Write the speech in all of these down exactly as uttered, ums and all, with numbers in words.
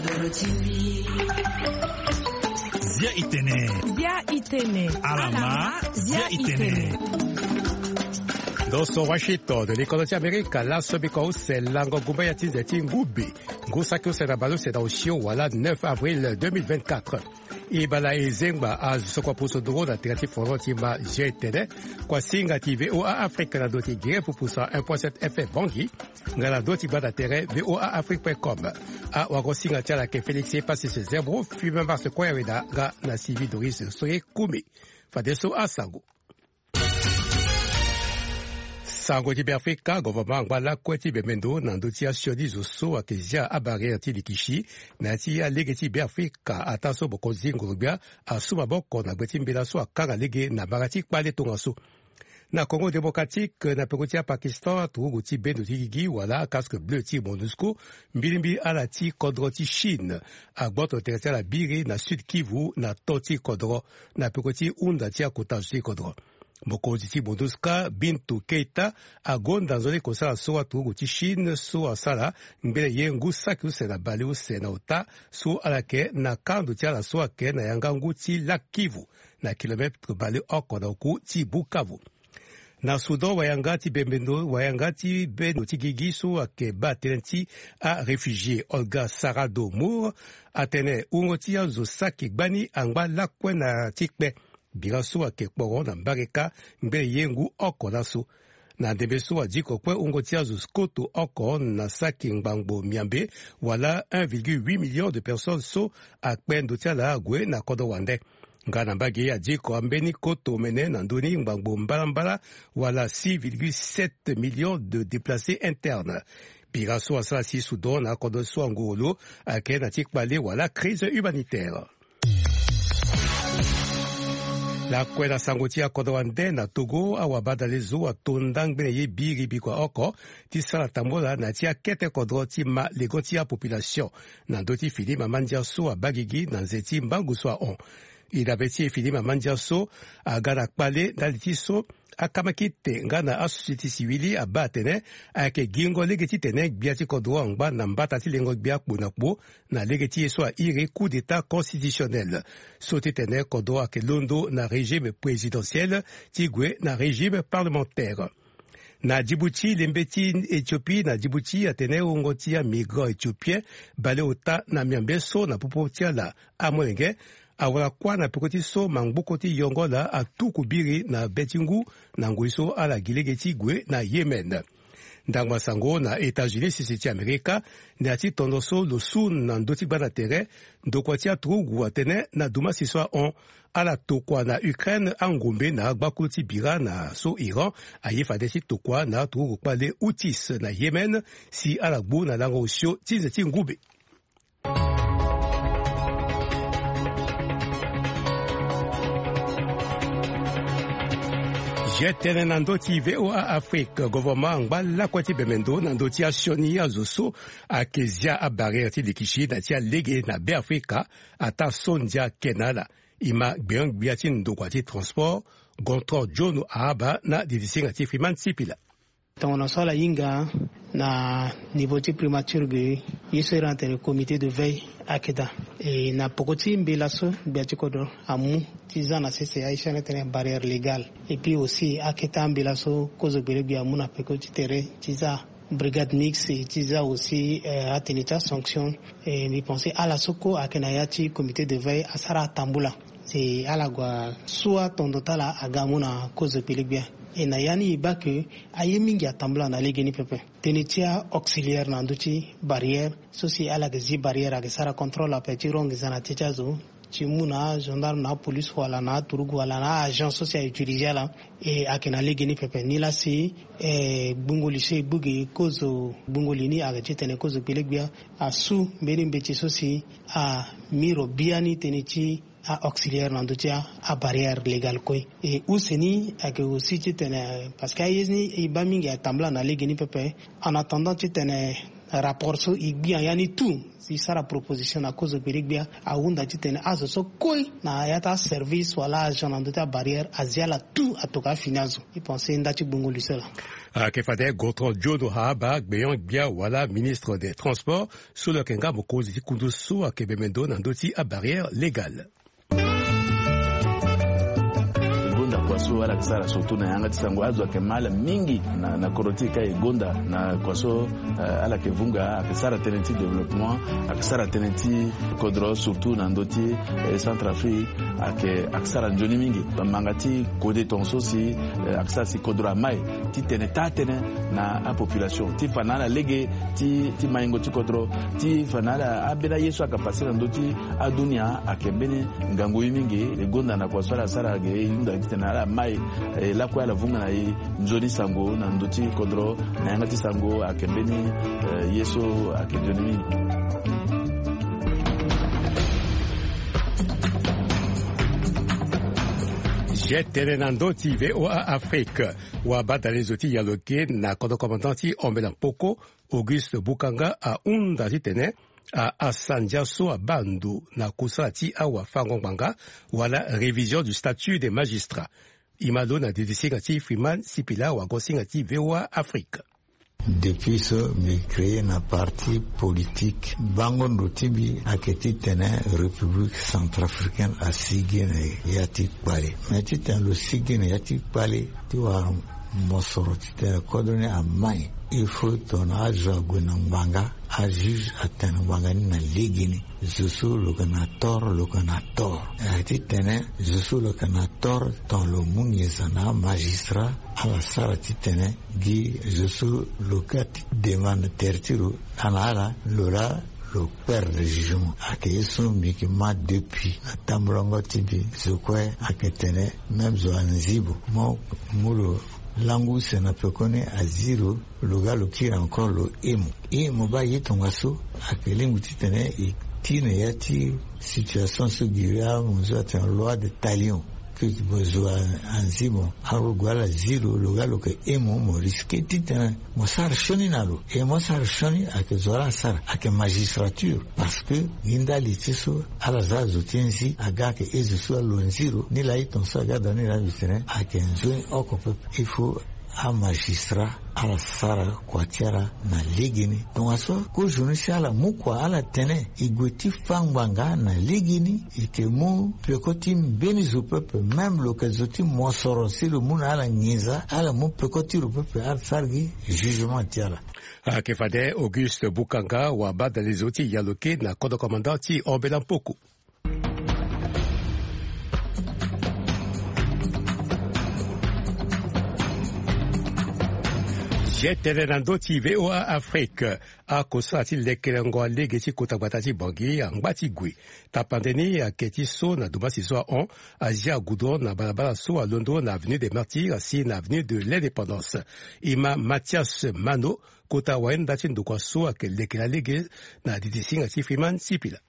Zia itene. Zia itene. Alama. Zia itene. Ndo so Washington, likodo ti Amerika, laso biko use lango gumba ya ti nze ti ngubi, ngu saki use na baleuse na osio wala neuf avril deux mille vingt-quatre. E bala e zengba azo so kua pusu nduru na tere ti fono ti ma G T D. Kua singa ti V O A Afrique na ndo ti gire pupu cent un point sept F M Bangui. Nga na ndo ti gbata tere V O A Afrique point com. Awago singa ti ala ayeke Félix Epassis Zebro, Firmin Mars Koyaweda nga na Sylvie Doris Soye Kumi. Fadeso asango. Sango ti Beafrika, gouvernement angba lakue ti bembe ndo na ndö ti asioni zo so ayeke zia abarrière ti likisi na ya ti alege ti Beafrika, ataa so mokonzi ngoro-gbia asu maboko na gbe ti mbela so akanga lege na mara ti kpale tongaso. Na Congo Démocratique, na peko ti aPakistan, aturugu ti bendo ti gigi wala casque bleu ti MONUSCO, mbilimbili ala ti kodro ti Chine, agboto tere ti ala biri na Sud Kivu na to ti kodro, na peko ti hunda ti akota zo ti kodro. Mokonzi ti MONUSCO, Bintou Keita, agonda nzoni kosala so aturugu ti Chine so asala ngbene ye ngu saki use na baleuse na ota so ala yeke na kando ti ala so ayeke na yanga ngu ti Lac Kivu, na kilometre baleoko na oku ti Bukavu. Na Soudan, wayanga ti bembe ndo, wayanga ti bendo ti gigi so ayeke baa tënë ti aréfugié Olga Sarado Mour atene wungo ti azo saki gbani angba lakue na ti kpe. Bira so ayeke kporo na mbareka ngbene ye ngu oko laso. Na ndembe so adiko kue wungo ti azo koto oko na saki ngbangbo miambe, wala un virgule huit million de personnes so akpe ndo ti ala ague na kodro wande. Nga na mbage adiko ambeni koto omene na ndö ni ngbangbo mbalambala, wala six virgule sept millions de déplacés internes. Bira so asara si Soudan na akodro so anguru lo ayeke na ti kpale wala crise humanitaire. Lakue na sango ti akodro wande, na Togo, awabadale zo ato nda ngbene ye biri bikua oko ti sara tambola na ya ti akete kodro ti ma lego ti apopulation na ndö ti fini mama ndia so abaa gigi na nze ti mbangu so ahon. E dabe ti e fini mama ndia so aga na kpale ndali ti so akamakite nga na asosieti siwili abaa atene ayeke gingo lege titene gbia ti kodro angba na mbata ti lengo gbia kpo na kpo na lege ti ye so airi coup d'état constitutionnel, so titene kodro ayeke londo na régime présidentiel ti gue na régime parlementaire. Na Djibouti, lembe ti Éthiopie na Djibouti atene wungo ti amigrant éthiopien baleota na miambe so na popo ti ala amolenge awara kuâ na peko ti so mangboko ti yongo ala atuku biri na be ti ngu na ngoi so ala gi lege ti gue na Yémen. Ndangba sango na États-Unis, sese ti Amerika, na ya ti tondo so lo su na ndö ti gbanda tere, ndokua ti aturugu atene na dumasi so ahon, ala tokua na Ukraine angombe na agbakulu ti bira na so Iran aye fade ti tokua na aturugu kpale Houthis na Yémen, si ala gbu na lango osio ti nze ti ngumbe. Zi tënë na ndö ti V O A Afrique, gouvernement angba lakue ti bembe ndo na ndö ti asioni azo so ayeke zia abarrière ti likisi na ti alege na Beafrika, ataa so ndia ake na ala. E ma gbenyo-gbia ti ndokua ti transport, Gontran John Ahaba na didisinga ti Freeman Sipila. Tongana so ala hinga na niveau ti primature ge, ye so iri atene comité de veille ayeke daa. E na poko ti mbela so gbia ti kodro amu ti za na sese aye so iri atene barrière légale. Et puis aussi akete ambela so kozo gbele gbia amu na peko ti tere ti za brigade mixte, ti za aussi, euh, atene ti asanction. Et mbi pense ala so kue ayeke na ya ti comité de veille asara atambula. Si ala gue asu atondo ti ala aga amu na kozo gbele gbia. E na ya ni e baa ke aye mingi atambula na legeni pepe. Tënë ti a-auxiliaire na ndö ti barrière so si ala yeke zi barrière ayeke sara contrôle ape ti ro nginza na tënë ti azo, ti mu na agendarme na apolice wala na aturugu wala na a-agent so si a-utiliser ala. E ayeke na legeni pepe ni laa si, eh, gbungo li so e gbu gi kozo gbungo li ni ayeke titene kozo gbele gbia asu mbeni mbeti so si ami ro biani tënë ti a-auxiliaire na ndö ti a-barrière légale kue. E use ni ayeke aussi titene parce que aye ni e baa mingi atambula na legeni pepe. En attendant titene Rapport so e gbia ya ni tout, si e sara proposition na kozo gbele gbia, ahunda titene azo so kue na ya ti aservice wala agent na ndö ti abarrière azi ala tout atoka afini azo. E pense nda ti gbungo luso laa. Ayeke fade Gontran John Wahaba, gbenyo-gbia wala ministre des transports, so lo yeke nga mokonzi ti kundu so ayeke bembe ndo na ndö ti abarrière légale. E gonda kua so ala yeke sara surtout na yanga ti sango, azo ayeke ma ala mingi na, na kodro ti e ka e gonda na kua so, eh, ala yeke vunga, ayeke sara tënë ti développement, ayeke sara tënë ti kodro surtout na ndö ti, eh, Centrafrique, ayeke, ayeke sara nzoni mingi. Manga ti kode tongaso si, eh, ayeke sara si kodro amai titene taa tënë na apopulation ti fa na ala lege ti, ti maingo ti kodro, ti fa na ala ambeni aye so ayeke pase na ndö ti adunia ayeke mbeni ngangu ye mingi. E gonda na kua so ala sara ge, e hunda titene ala mai, eh, lakue ala vunga na e nzoni sango na ndö ti kodro, na yanga ti sango ayeke mbeni, eh, ye so ayeke nzoni mingi. Zi tene na ndö ti V O A Afrique. Wabadalezo ti yaloke na kodro commandant ti Ombela Mpoko, Auguste Bukanga, ahunda titene a, asandia so abaa ndo na kusala ti awafango-ngbanga wala révision du statut des magistrats. E ma lo na didisinga ti Freeman Sipila, wago-singa ti V O A Afrique. Depuis so mbi créé na parti politique, bango ndo ti mbi ayeke titene République centrafricaine asigi na ya ti kpale. Mais titene lo sigi na ya ti kpale ti wara mosoro titene kodro ni amai, il faut tongana azo ague na ngbanga, ajuge atene ngbanga ni na legeni. Zo so lo yeke na tort, lo yeke na tort. Ayeke titene zo so lo yeke na tort, tongana lo mu nginza na amagistrat, ala sara titene gi zo so lo ga ti demande tere ti lo, ala na ala lo laa lo perdre jugement. Ayeke ye so mbi yeke ma depuis na tambulango ti mbi. Zo kue ayeke tene même zo anzibo mo mu lo langu use na pekoni azi lo, lo ga lo kiri encore lo hemo. E mo baa ye tongaso ayeke lingbi titene e ti na ya ti situation so giri amonzo atene loi de talion. Que mo zo anzi mo, arogo ala zi lo, lo ga lo yeke hemo, mo risqué titene mo sara sioni na lo. E mo sara sioni ayeke zo ala sara ayeke magistrature. Parce que gi ndali ti so ala za azo ti nzi aga ayeke e zo so alo nzi lo. Ni laa e tongaso aga daa ni laa mbi tene ayeke nzoni oko pepe. Il faut amagistrat ala sara kua ti ala na legeni. Tongaso kozo ni si ala mu kua ala tene e gue ti fa ngbanga na legeni, e yeke mu peko ti mbeni zo pepe, même lo yeke zo ti mosoro si lo mu na ala nginza, ala mu peko ti lo pepe, ala sara gi jugement ti ala. Ayeke fade Auguste Bukanga, wabadalezo ti yaloke na kodro commandant ti Ombela Mpoko. Zi tene na ndö ti V O A Afrique. Akosala ti lekelengo alege ti kota gbata ti Bangui angba ti gue. Tapande ni ayeke ti so na domasi so ahon, azia goudron na balabala so alondo na avenue des Martyrs asi na avenue de l'Indépendance. E ma Mathias Mano, kota wayenda ti ndokua so ayeke lekela lege na didisinga ti Freeman Sipila.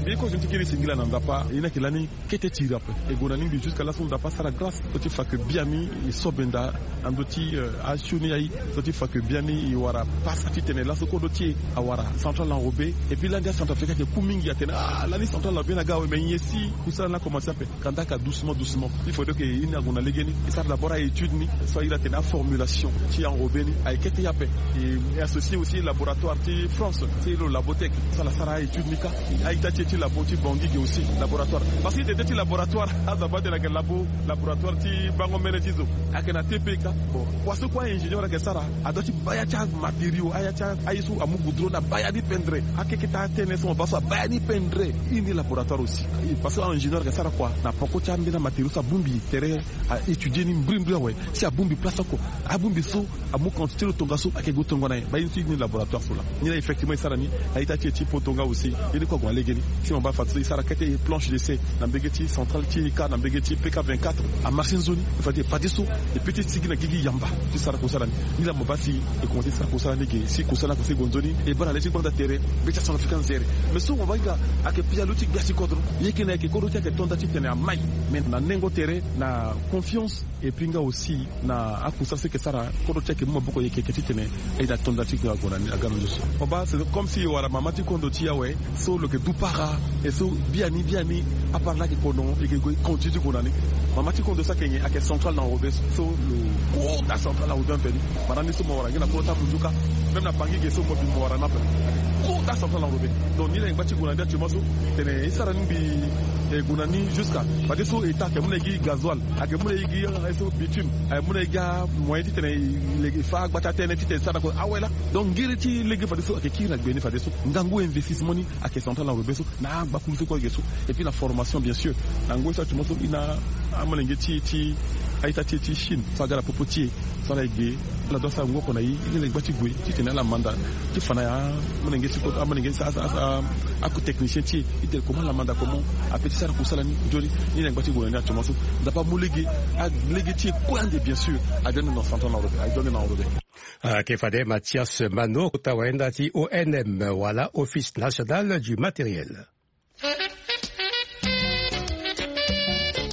Mbi ye kozo ni ti kiri singila na ndapa, e ni ayeke lani kete tiri ape. E gue na ni mbi jusqu'à laso ndapa asara grâce so ti fa ke biani e so benda na ndö ti, eh, asioni aye so ti fa ke biani e wara pasa titene laso kodro ti e awara central enrobé. Et puis lani acentrafricain ayeke ku mingi atene ah lani central enrobé ni aga awe, mais nyen si kusala ni akomanse ape. Kanda aka doucement doucement. Il faudrait que e ni ague na legeni e sara d'abord a étude ni so a iri atene a formulation ti enrobé ni ayeke kete ye ape. E associé aussi laboratoire ti France ti lo Labotech so ala sara a étude ni ka. A-ita ti e ti labo ti Bangui ge aussi laboratoire. Parce que tete ti laboratoire azo abaa tene ayeke labo, laboratoire ti bango mbene ti zo ayeke na T P ka. Bon, kua so kue a-ingénieur ayeke sara, adoit ti baa ya ti amatériaux, aya ti aye so amu goudron ni abaa ya ni pendre. Akeketa atene so mo baa so abaa ya ni pendre. I ni laboratoire aussi. Parce que a-ingénieur ayeke sara kua na poko ti ambeni amatériaux so abongbi tere a étudier ni mbrimbri awe. Si abongbi place oko, abongbi so amu quantité lo tongaso ayeke gue tongana nyen. Baa ye ni so i ni laboratoire so laa. Ni laa effectivement e sara ni. A-ita ti e ti poto nga aussi ye ni kue ague na legeni. Si mo baa fadeso e sara kete planche d'essai na mbege ti centrale ti eka na mbege ti pk vingt-quatre, amarche nzoni. Fade fadeso e pe ti sigi na gigi yamba ti sara kosala ni. Ni laa mo baa si e komanse ti sara kosala ni ge, si kosala ni akomanse gue nzoni, e baa na le ti gbanda tere be ti acentrafricain nzere. Mais so mo baa hinga ayeke pialo ti gbia ti kodro. Ye ke na yeke kodro ti ayeke to nda titene amai. Mais na nengo tere, na confiance, et puis nga aussi na akusara so e yeke sara kodro ti ayeke mu maboko yeke yeke titene e na to nda ti ague na ni aga na ndusu. Mo baa c'est comme si e wara mama ti kondo ti e awe, so lo yeke du para. E so biani biani apara laa ayeke kono, e yeke gue continue ti gue na ni. Mama ti kondo so ayeke nyen? Ayeke central na enrobé. So lo kota central na enrobé ape ni. Mara ni so mo wara ngia na kolo ti amunduka, même na bangi ge so mo bi mo wara ni ape. Kota central na enrobé. Donc ni na e ngba ti gue na ni actuellement so, tene e sara ni mbi e gue na ni jusqu'à fadeso état ayeke mu na e gi gasoil, ayeke mu na e gi, eh, so bitume, ayeke mu na e gi amoyen titene e lege e fa agbata tënë titene e sara na kue awe laa. Donc ngiri ti lege fadeso ayeke kiri na gbe ni fadeso. Ngangu investissement ni ayeke central na enrobé so, na angbakulu so kue ayeke so. Et puis na formation bien sûr. Na ngoi so actuellement so e na amolenge ti e ti a-ita ti e ti Chine so aga na popo ti e. So ala e ge, ala doit sara ngu oko na e, e na e ngba ti gue titene ala manda ti fa na ya amolenge ti kota, amolenge ti a, a, a, a, aku technicien ti e, titene comment ala manda comment ape ti sara kusala ni. Nzoni ni na e ngba ti gue na ni actuellement so. Nzapa amu lege, a, lege ti e kue ande bien sûr. Aye ande na central na enrobé, aye ande na enrobé. Ayeke fade Mathias Mano, kota wayenda ti O N M wala Office National du Matériel.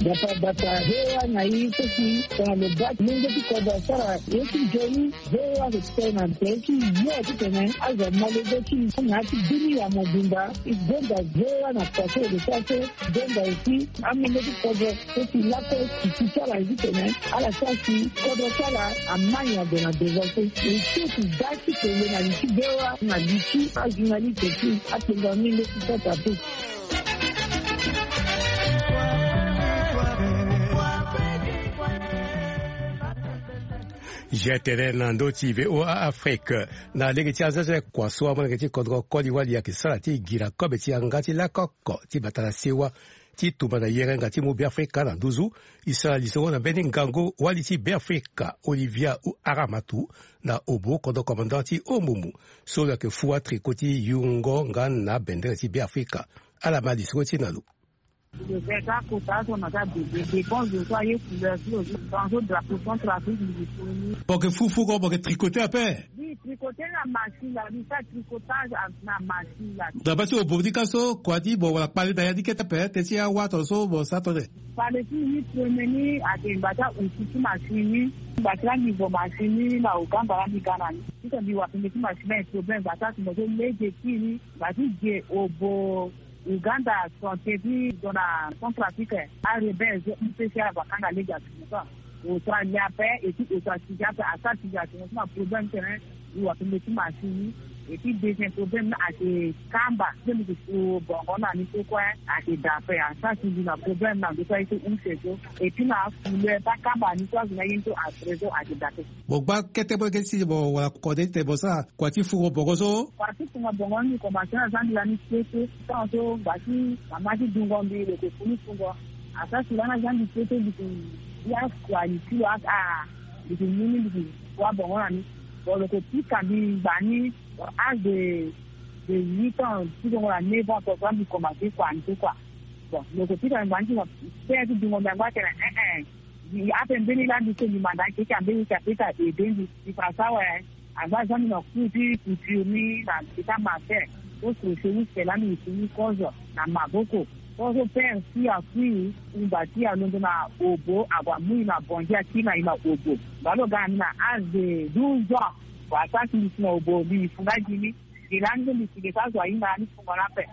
Bata bata, V O A na e so si tongana lo baa ti lenge ti kodro asara ye ti nzoni, V O A lo tene na tere ti yo titene azo amolenge ti e na ya ti bini ya mobimba. E gonda V O A na poto lo sara so, e gonda aussi amolenge ti kodro so si lakue titi ti ala titene ala sara si kodro ti ala amai na gue na devant so. E so ti da ti tene na li ti V O A na li ti ajournaliste ti akpengoro ni nde ti Centrafrique. Zia tënë na ndö ti V O A Afrique. Na lege ti azaza kua so amolenge ti kodro koli wali ayeke sara ti gira kobe ti yanga ti lakoko ti bata na sewa ti tumba na yerenga ti mu Beafrika na nduzu. E sara lisoro na mbeni ngangu wali ti Beafrika Olivia Aramatu na obo kodro commandant ti Omumu so lo yeke fua tricot ti yungo nga na bendere ti Beafrika. Ala ma lisoro ti e na lo. Lo yeke ka kota so na ka bebe dépense zo so aye couleur ti lo so, tongana so drapeau Centrafrique mbi yeke foni. Mo yeke fu fugo, mo yeke tricoter ape? Mbi tricoter na machine la, mbi sara tricotage na machine la. Dabe ti obo ni ka so, kua ti mo wala kpale na ya ni kete ape, teti awa tongana so mo sara tongana nyen? Kpale ti mbi ni premier ni ayeke ngba ti ahusi ti machine ni. Ngba ti la mbi vo machine ni na Ouganda la mbi ga na ni. Titene mbi wara tënë ti machine ni, problème ngba ti atumba so lege ti ni. Ngba ti ge obo Ouganda, santé ti zo na Centrafrique, arebelle zo M P C ala gue akanga lege atumba so. Auto alia ape, et puis auto asigi ape, asara sigi atumba so na problème tene. Mbi wara tënë ti machine ni. Et puis deuxième problème ni ayeke kamba so mbi yeke fu bongo na ni so kue ayeke da ape, asara sigi na problème na ndo so aye so use so. Et puis na couleur ti akamba ni so azo ni aye ni so après so ayeke da ape. Mo gba kete mo yeke si mo wara kode ti tene mo sara kua ti fungo bongo so. Kua ti fungo bongo ni mbi komanse na zia mbi lani kete. Tongana so ngba ti mama ti dungo mbi lo yeke fu ni fungo. Asara si lani azia mbi kete mbi yeke ya kua ni ti lo aka. Mbi yeke mu ni mbi yeke fua bongo na ni. Bon lo yeke pika mbi ngba ni. Bon âge de, de huit ans ti zo ngo na neuf ans tongaso mbi komanse kua ni so kua. Bon lo yeke pika mbi ngba ni ti fa père ti dungo mbi angba atene eh eh. Mbi ape mbeni laa mbi so mbi manda akeke ambeni ti apesa aide mbi. Mbi fa so awe. Angba azia mbi na cours ti couture ni na mbi ti amatin. So crochet ni sela mbi yeke ni kozo na maboko. Kozo père ti akui ngba ti alondo na obo ague amu e na bongi akiri na e na obo. Ngba lo ga na mbi na âge de douze ans. Wa asara si mbi si na obo mbi fu nga gi ni. Mbi lani so mbi si ge so azo ahinga ni fungo ni ape.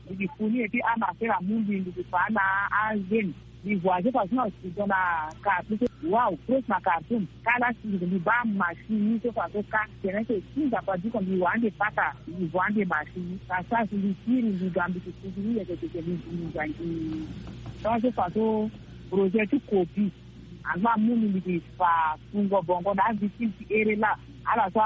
Mbi gi fu ni et puis amasera amu mbi mbi gi fa na azemi. Mbi voyage façon na sudan na Khartoum so. Waw, proche na Khartoum. Kâ la si mbi baa machine ni so façon kâ. Tene so si nzapa diko mbi wa ande pata mbi voyage ande machine ni. Ka sara si mbi kiri mbi ga mbi gi fu ni yeke teke mbi gi mbi ga gi. Tongana so façon projet ti copie. Angba amu mbi mbi gi fa fungo bongo na avictime ti here laa. Ala so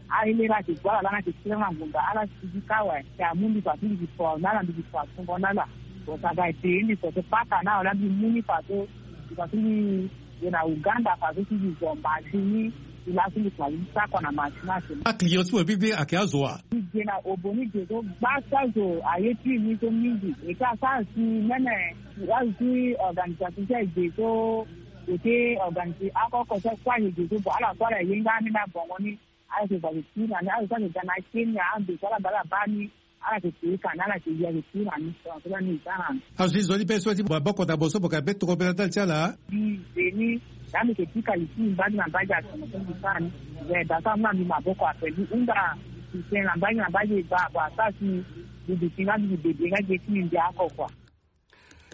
ahelera ayeke gue ala lani ayeke sira na ngonda ala sigi kâ awe. Te amu mbi fa so mbi gi fa na ala mbi gi fa fungo na ala. Bon saga e peye mbi so so paka na awe laa mbi mu ni fa so mbi fa so mbi gue na Ouganda fa so si mbi zo machine ni. Laso mbi koma li sako na machine ake. Aclient ti mo bibi ayeke azo wa. Mbi ge na obo ni ge so gbasa zo aye ti ni so mingi. E ka sara si mene azi organisation ti age so. Eke organise akoko so kue age ge so bon ala kue ala ye nga ni na bongo ni. Ala yeke bale ti na ni ala yeke ga na kenya ando so ala bale abaa ni. Ala yeke pei ka na ala yeke ya yeke ti na ni so so la ni za na ni. Azo ti zo ni be so ti maboko na bo so mo ka be tokobela ndali ti ala. Mbi ze ni. Laa mbi yeke pika li ti mbi mbage na mbage atongo so mbi sara ni. Ze da so amu na mbi maboko ape mbi hunda. Mbi tene na mbage na mbage ba bo asara si mbi duti nga mbi bebe nga ge ti mbi mbi ako kua.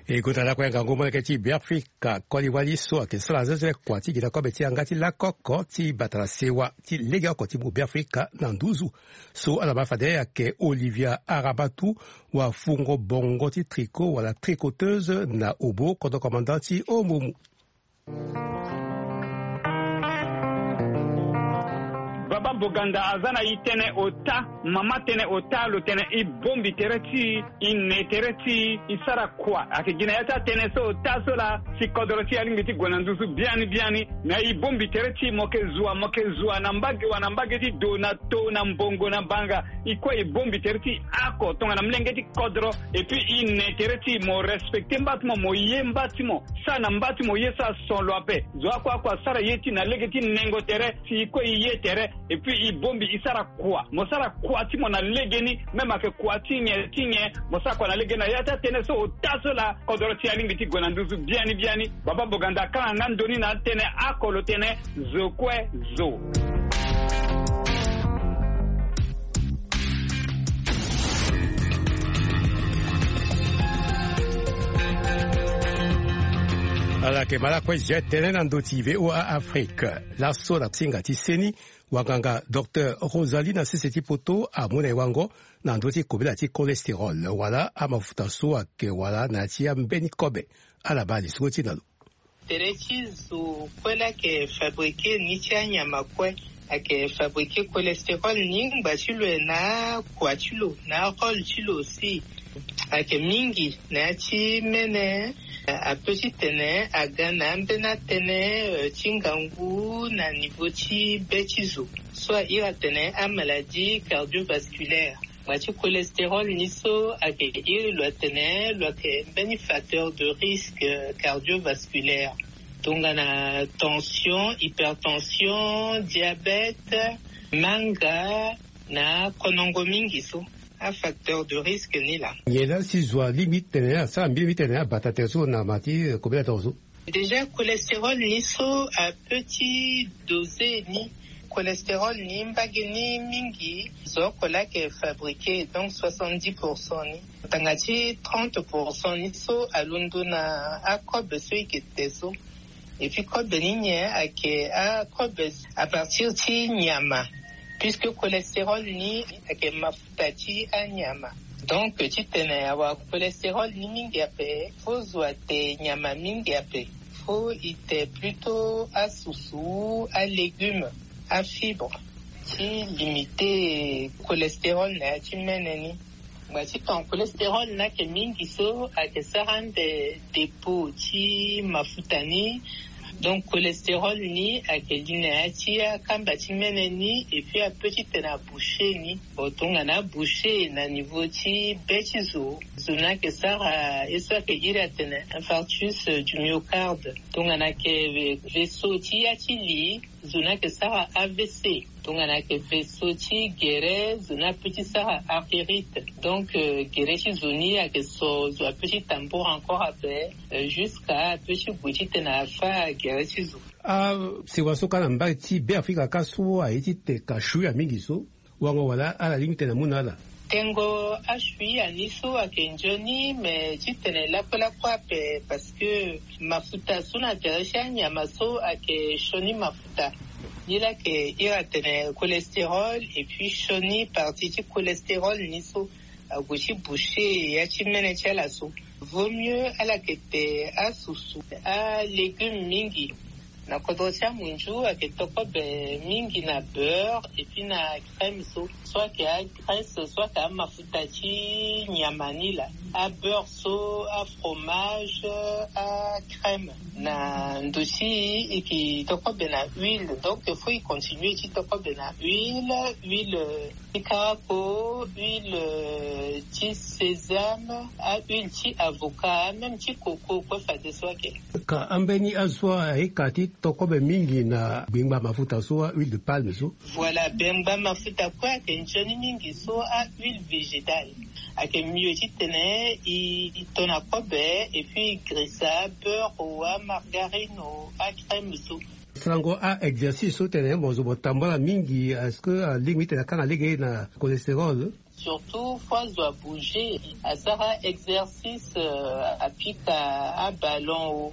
E gonda lakue ngangu molenge ti Beafrika koli wali so ayeke sara zezele kua ti gi na kobe ti yanga ti lakoko ti bata na sewa ti legeoko ti mu Beafrika na nduzu. So ala ma fade ayeke Olivia Arabatu, wafungo bongo ti tricot wala tricoteuse na obo kodro commandant ti Omomu. Baba Boganda aza na e tënë ota, mama tënë ota, lo tene e bongbi tere ti e, e ne tere ti e, e sara kua. Ayeke gi na ya ti atënë so ota so laa si kodro ti e alingbi ti gue na nduzu biani biani. Na e bongbi tere ti e, mo yeke zua, mo yeke zua na mbage wa na mbage ti do na to na mbongo na banga. E kue e bongbi tere ti e ako tongana molenge ti kodro. Et puis e ne tere ti e, mo respecte mba ti mo, mo ye mba ti mo. Sara na mba ti mo ye so ason lo ape. Zo akue akue asara ye ti e na lege ti nengo tere si e kue e ye tere. Et puis e bongbi e sara kua. Mo sara kua ti mo na legeni. Même ayeke kua ti nyen ti nyen, mo sara kua na legeni na ya ti atënë so ota so laa kodro ti e alingbi ti gue na nduzu biani biani. Baba Boganda akanga nga ndoni na atënë ako lo tene zo kue zo. Ala yeke ma lakue zia tënë na ndö ti VOA Afrique. Laso na singa ti seni, wanganga docteur Rosalie na sese ti poto amu na e wango na ndö ti kobela ti cholestérol wala amafuta so ayeke wala na ya ti ambeni kobe. Ala baa lisoro ti e na lo. Tere ti zo kue laa ayeke fabriqué ni ti anyama kue. Ayeke fabriqué cholestérol ni ngba ti lo na akua ti lo na arôle ti lo aussi. Ayeke mingi na ya ti mene. Ape titene aga na ambeni atënë, euh, ti ngangu na niveau ti be ti zo so a iri atene amaladie cardiovasculaire. Ngba ti cholestérol ni so ayeke iri lo atene lo ayeke mbeni facteur de risque, euh, cardiovasculaire. Tongana tension, hypertension, diabète, manga na konongo mingi so. Afacteur de risque ni laa. Nyen la si zo alingbi ti tene asara mbi mbi tene abata tere so na ma ti, eh, kobela tere so? Déjà cholestérol ni so ape ti dosé ni. Cholestérol ni mbage ni mingi zo oko laa ayeke fabriqué, donc soixante-dix pour cent ni. Tanga ti trente pour cent ni so alondo na akobe so e yeke te so. Et puis kobe ni nyen ayeke? Akobe à partir ti nyama, puisque cholestérol ni ayeke mafuta ti anyama. Donc titene awara cholestérol ni mingi ape, faut zo ate nyama mingi ape. Faut e te plutôt asusu, alégume, afibre, ti limiter cholestérol na ya ti mene ni. Ngba ti ton cholestérol ni ayeke mingi so ayeke sara ande dépôt ti mafuta ni. Donc cholestérol ni ayeke li na ya ti akamba ti mene ni, et puis ape titene abouché ni. Bon, tongana abouché na niveau ti be ti zo, zo ni ayeke sara ye so ayeke iri atene infarctus du myocarde. Tongana ayeke vaisseau ti ya ti li, zo ni ayeke sara A V C. Tongana ayeke vaisseau ti gere, zo ni ape ti sara artérite. Donc, euh, gere ti zo ni ayeke so, zo ape ti tambour encore ape, euh, jusqu'à ape ti gue titene afa gere ti zo. Asewa so ka na mbage ti Beafrika ka so aye ti te ka shuia mingi so. Wango wala ala lingbi tene amu na ala? Tengo ashuia ni so ayeke nzoni, me titene lakue lakue ape, parce que mafuta so na tere ti anyama so ayeke sioni mafuta. Ni laa ayeke iri atene cholestérol, et puis sioni partie ti cholestérol ni so ague ti boucher ya ti mene ti ala so. Vaut mieux ala yeke te asusu alégume mingi. Na kodro ti amunzu ayeke tokobe mingi na beurre et puis na crème so, so ayeke agraisse so ayeke amafuta ti nyama ni laa. Abeurre so, afromage, acrème. Na ndo ti e yeke tokobe na huile, donc il faut e continue ti tokobe na huile. Huile ti karako, huile ti sésame, ahuile ti avocat, même ti coco kue fadeso ayeke. Ka ambeni azo so ayeke ka ti tokobe mingi na gbengba mafuta so, ahuile de palme so. Voilà, gbengba mafuta kue ayeke nzoni mingi so ahuile végétale. Ayeke mieux titene e, e to na kobe et puis e grisa beurre o, amargarine o, acrème so. Sarango a-exercice so tene mo zo mo tambula mingi, est-ce que alingbi titene akanga lege na cholestérol? Surtout fo azo abouger, asara exercice, euh, apika aballon o.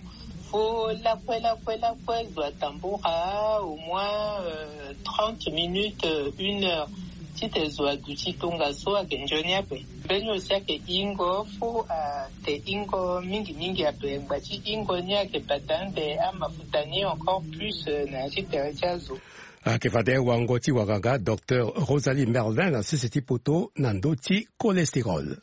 Fo lakue lakue lakue zo atambula au moins, euh, trente minutes, euh, une heure. Titene zo aduti tongaso ayeke nzoni ape. Mbeni aussi ayeke ingo, fo ate ingo mingi mingi ape. Ngba ti ingo ni ayeke bata ande amafuta ni encore plus, euh, na ya ti tere ti azo. Ayeke fade wango ti wanganga docteur Rosalie Merlin na sese ti poto na ndö ti cholestérol.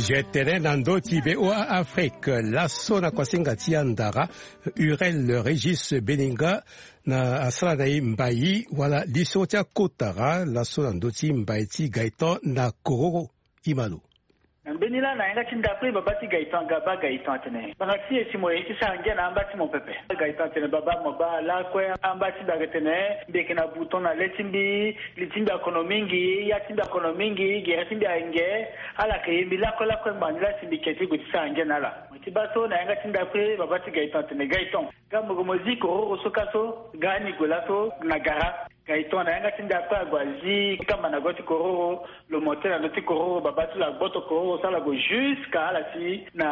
Je tene na ndö ti V O A Afrique, laso na kuasinga ti andara, Urel Régis Beninga na asara na e mbai wala liso ti akotara laso na ndö ti mbai ti Gaëtan na Kororo. Imalo. Na mbeni laa na yanga ti ndapre baba ti Gaëtan, ga baa Gaëtan atene, banga ti e si mo ye ti sara ngia na amba ti mo pepe. Gaëtan atene, baba, mo baa lakue, amba ti mbi ayeke tene mbi yeke na bouton na le ti mbi, li ti mbi akono mingi, ya ti mbi akono mingi, gere ti mbi ayeke nge. Ala yeke ye mbi lakue lakue ngbanga ni laa si mbi yeke ti gue ti sara ngia na ala. Mo ti baa so na yanga ti ndapre baba ti Gaëtan atene, Gaëtan, ga mo gue mo zi kororo so ka so, ga ni gue laso na gara. Gaëtan na yanga ti ndapre ague azi kamba na go ti kororo, lo monte na ndö ti kororo, baba ti lo agboto kororo so ala gue jusqu'à ala si na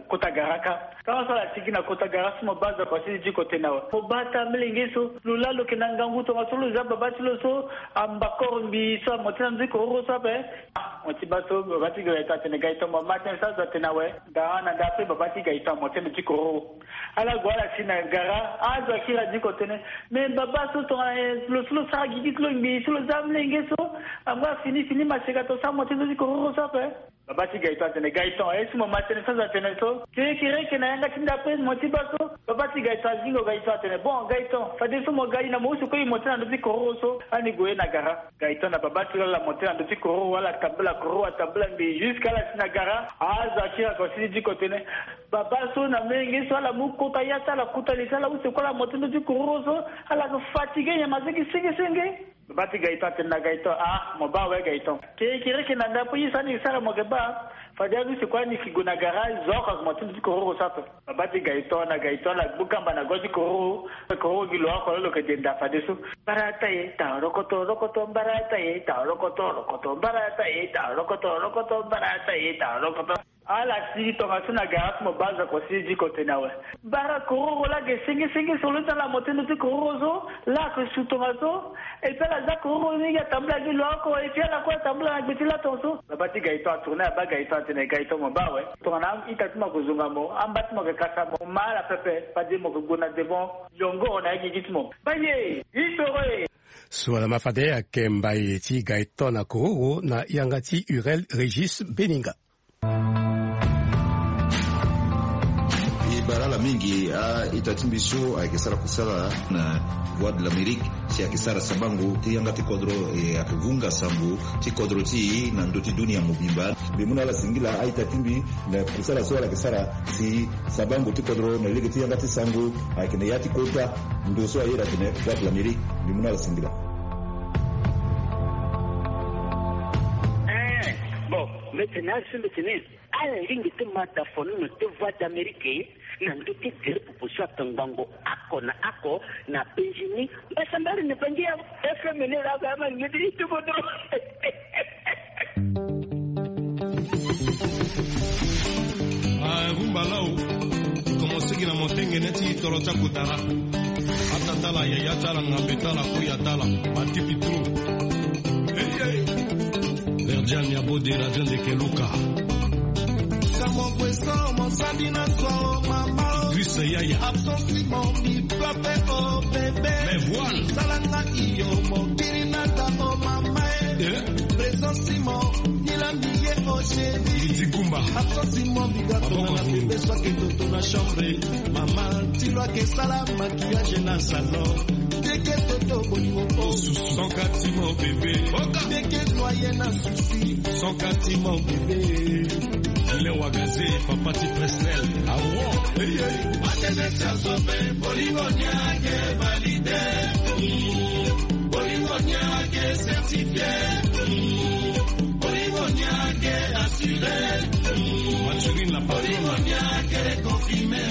kota gara ka. Tara so ala si gi na kota gara so mo baa zo akua ti diko tene awe. Mo baa ata amolenge so, lo laa lo yeke na ngangu tongaso lo za baba ti lo so, ambakoro mbi so amonte na ndö ti kororo so ape. Ah, mo ti baa so baba ti Gaëtan atene, Gaëtan, mo ma tënë so azo atene awe. Gara na ndapre baba ti Gaëtan amonte na ndö ti kororo. Ala gue ala si na gara, azo akiri adiko tene, me baba so tongana lo so lo sara gigi ti lo ngbii so lo za amolenge so, angba fini fini maseka to so amonte na ndö ti kororo so ape. Baba ti Gaëtan atene, Gaëtan, e si mo ma tënë so azo atene so. Kerekereke na yanga ti ndapre mo ti baa so. Baba ti Gaëtan azingo Gaëtan atene, bon Gaëtan, fadeso mo ga e na mo use kue e monte na ndö ti kororo so, ani gue na gara. Gaëtan na baba ti lo ala monte na ndö ti kororo, ala tambula kororo, atambula ngbii jusqu'à ala si na gara. Azo akiri akua ti diko tene, baba so na menge so ala mu kota ya ti ala, kota li ti ala use kue ala monte ndö ti kororo so, ala yeke fatigué nyama so gi senge senge. Baba ti Gaëtan atene na Gaëtan, ah, mo baa awe Gaëtan. Kerekereke na ndapre ye so ani yeke sara mo yeke baa. Fade ani use kue ani yeke gue na gara, zo oko ayeke monte ndö ti kororo so ape. Baba ti Gaëtan na Gaëtan ala gbu kamba na go ti kororo. Kororo gi lo oko lo lo yeke denda fadeso. Mbara taye ta rokoto rokoto, mbara taye ta rokoto rokoto, mbara taye ta rokoto rokoto, mbara taye ta rokoto. Ala si tongaso na gara so mo baa zo akua ti diko tene awe. Bara kororo laa ge senge senge so lo ti ala monte ndö ti kororo so, laa ayeke su tongaso. Et puis ala za kororo ni gi atambula gi lo oko, et puis ala kue atambula na gbe ti laton so. Baba ti Gaëtan atourné abaa Gaëtan atene, Gaëtan mo baa awe. Tongana a-ita ti mo ayeke zonga mo, amba ti mo ayeke kasa mo, mo ma ala pepe, fade mo yeke gue na devant yongoro na ya gigi ti mo. Baye, histoire. So ala ma fade ayeke mbai ti Gaëtan na kororo na yanga ti Urel Régis Beninga. E bara ala Mingi a-ita ti mbi so ayeke sara kusala na Voix de l'Amérique, si ayeke sara sabango ti yanga ti kodro, e ayeke vunga sango ti kodro ti e na ndö ti dunia mobimba. Mbi mu na ala singila a-ita ti mbi na kusala so ala yeke sara si sabango ti kodro na lege ti yanga ti sango ayeke na ya ti kota ndo so ayeda atene Voix de l'Amérique. Mbi mu na ala singila. Eh, bon, mbi tene ala so mbi tene ala lingbi ti mata fono na te Voix d'Amérique na ndö ti tere popo so atongbango oko na oko na Benjini. Mbasambari ni bangi ya F M ni la ga ma ngidi ti bodo. Ah, rumba lao. Commencé ki na motengene ti tolo ti akutara. Ata tala yaya tala ngambe tala kuya tala. Batipi trop. Hey, hey. Verdian ya bode la jande ke luka. Kamo kweso mosadi na swa o mama o. Idriss yaya. Absence mon mi pape o bébé. Mais voilà. Salanga iyo mokili na ta o mama e. Eh. Présence mon nilandi ye o chéri. Lidi Kumba. Absence mon biga tona na bébé swa ke toto na chambre. Mama tilo ake sala maquillage na salon. Teke toto bolingo o. Sans kati mon bébé. Oka. Teke noye na souci. Sans kati mon bébé. Ile wagaze papa ti Presnel. Awo. Hey, hey. Matene ti azobe bolingo niake valide. Bolingo niake certifié. Bolingo niake assuré. Maturine la patronne. Bolingo niake confirmé.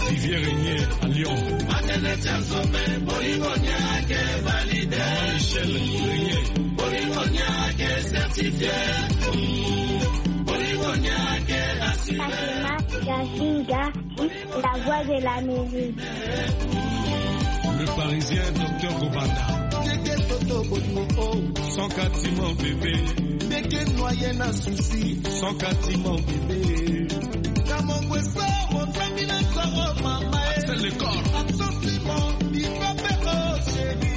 Vivière Régnier à Lyon. Matene ti azobe bolingo niake valide. Maman Michel Régnier. Bolingo niake certifié. Bolingo niake assuré. Fatima Gazinga, la voix de l'Amérique. Le Parisien, docteur Gobanda. Teke toto bolingo o. Sans kati mon bébé. Teke noye na souci. Sans kati mon bébé. Kamo kweso mosadi na swa o mama e. Axel Lecor. Absence mon mi pape o chéri.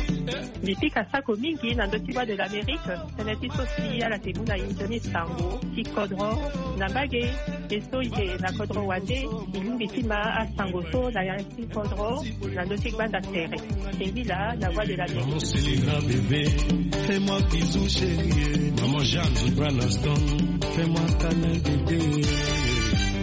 Mbi pika sako mingi na ndö ti Voix de l'Amérique, tënë ti so si ala ke mu na inzo ni sango ti kodro na mbage, e so e yeke na kodro wande, e lingbi ti ma asango so na ya ti kodro na ndö ti gbanda tere. Singila na Voix de l'Amérique. Maman Selena bébé, fais-moi bisou chérie. Maman Jeanne, Gibran Aston, fais-moi câlin bébé.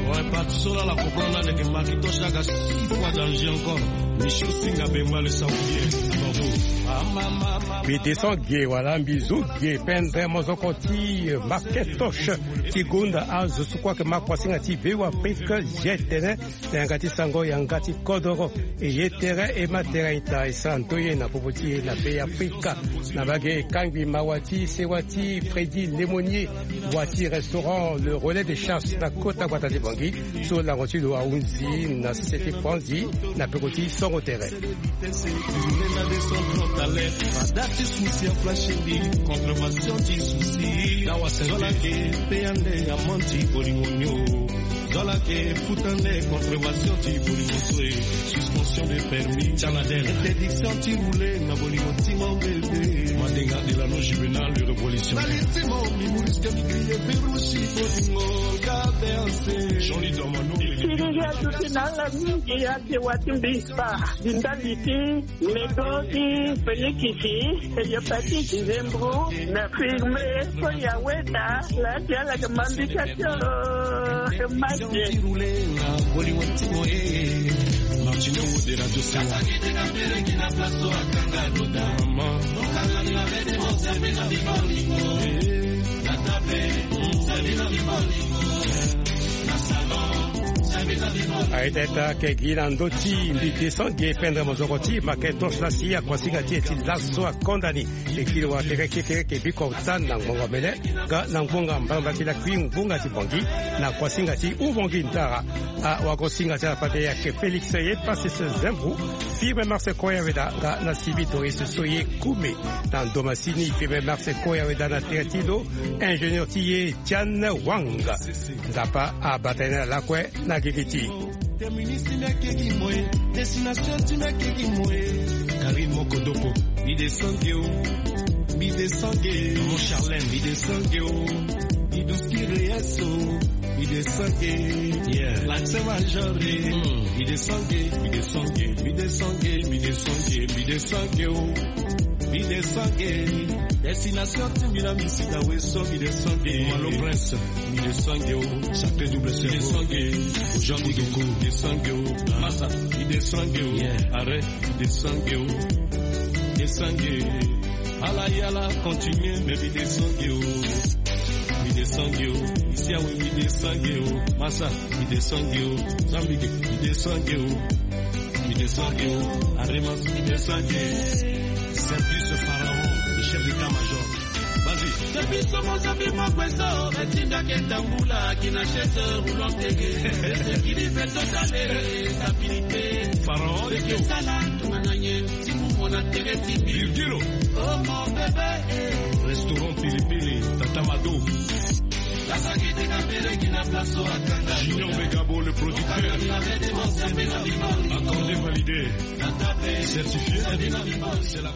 Ouais, pas de cela la comprendre là, les Macintosh là, six fois danger encore. Michou Singa Bemba le saoudier. Bravo. Ah, maman. Mbi descend ge wala mbi zo ge pendre mozoko ti Macintosh ti gonda azo so kue ayeke ma kuasinga ti Veo Afrique, je tene na yanga ti sango yanga ti kodoro. E ye tere e ma tere ita e sara ndoye na popo ti e na Be Afrika. Na mbage e kangbi mawa ti sewa ti Freddy Lemonnier, wa ti restaurant Le Relais de Chasse na kota gbata ti Bangui, so lango ti lo ahunzi na sese ti Franzi na peko ti songo tere. Fada ti souci a flash mbi, contravention ti souci. Zola ke pe ande amende ti bolingo nio. Zola ke futa nde contravention ti bolingo so e. Suspension de permis. Canadel. Interdiction ti rouler na bolingo ti mon bébé. Madenga Delano Juvenal le révolutionnaire. Nali ti mo mi mouris ke mi crier Ferrucci bolingo ga verse. Johnny Domano. Siriri azuti na ala mingi ate wa ti mbi spa. Di ndali ti Medo ti Félix ti hépatite di Zembro na firme so ya weda la ti ala ke mambi ka ti o. Mati. Martino Wode Radio Sala. Mama. Aye teta ke gi na ndö ti mbi descend ge pendre mozoko ti Macintosh la si akuasinga ti e ti laso akonda ni. E kiri wa keke keke ke biko tan na ngbonga mele nga na ngbonga mbamba ti lakui ngbonga ti Bangui na kuasinga ti Ubangui Ntara. Awagosinga ti ala fade ayeke Félix Epassis Zembou, Firmin Marcel Koya Weda nga na Sibi Doris so ye Kume. Na ndo masini Firmin Marcel Koya Weda na tere ti lo ingénieur ti e Tian Wang. Nzapa abata ye na lakue na gigi ti. Terminus ti mbi ayeke gi mo e. Destination ti mbi ayeke gi mo e. Karine Mokodoko. Mbi descend ge o. Mbi descend ge. Maman Charlène. Mbi descend ge o. Mbi duski reyes o. Mi descend, yeah. L'accent major, eh. Mm. Mi descend, mi descend, mi descend, mi descend, mi descend, oh. Mi descend. Destination ti mi na mi si na weso, mi descend. Malo Prince. Mi descend, oh. Sacré double cerveau. Mi descend. Jean Kudoko. Mi descend, oh. Massa. Mi descend, oh. Yeah. Arrête. Mi descend, oh. Mi descend. Ala yala continue, mais mi descend, oh. Mi descend, oh. Ici, ah oui, mi descend, oh. Massa. Mi descend, oh. Zambike. Mi descend, oh. Mi descend, oh. Aremas. Mi descend, oh. Simplice Pharaon, le chef d'état-major. Vas-y. Depuis ce mot, ça fait ma poisson. Retinda qui est en boula, qui n'achète roulant télé. Sécurité totale, stabilité. Pharaon, que ça là, tout le monde a tiré. Virgilo. Oh mon bébé, eh. Restaurant Pilipili, Tata Mado. La sagité Kabele qui n'a place au Akanga. Junior Begabo, le producteur. Accordé, validé. Certifié. C'est la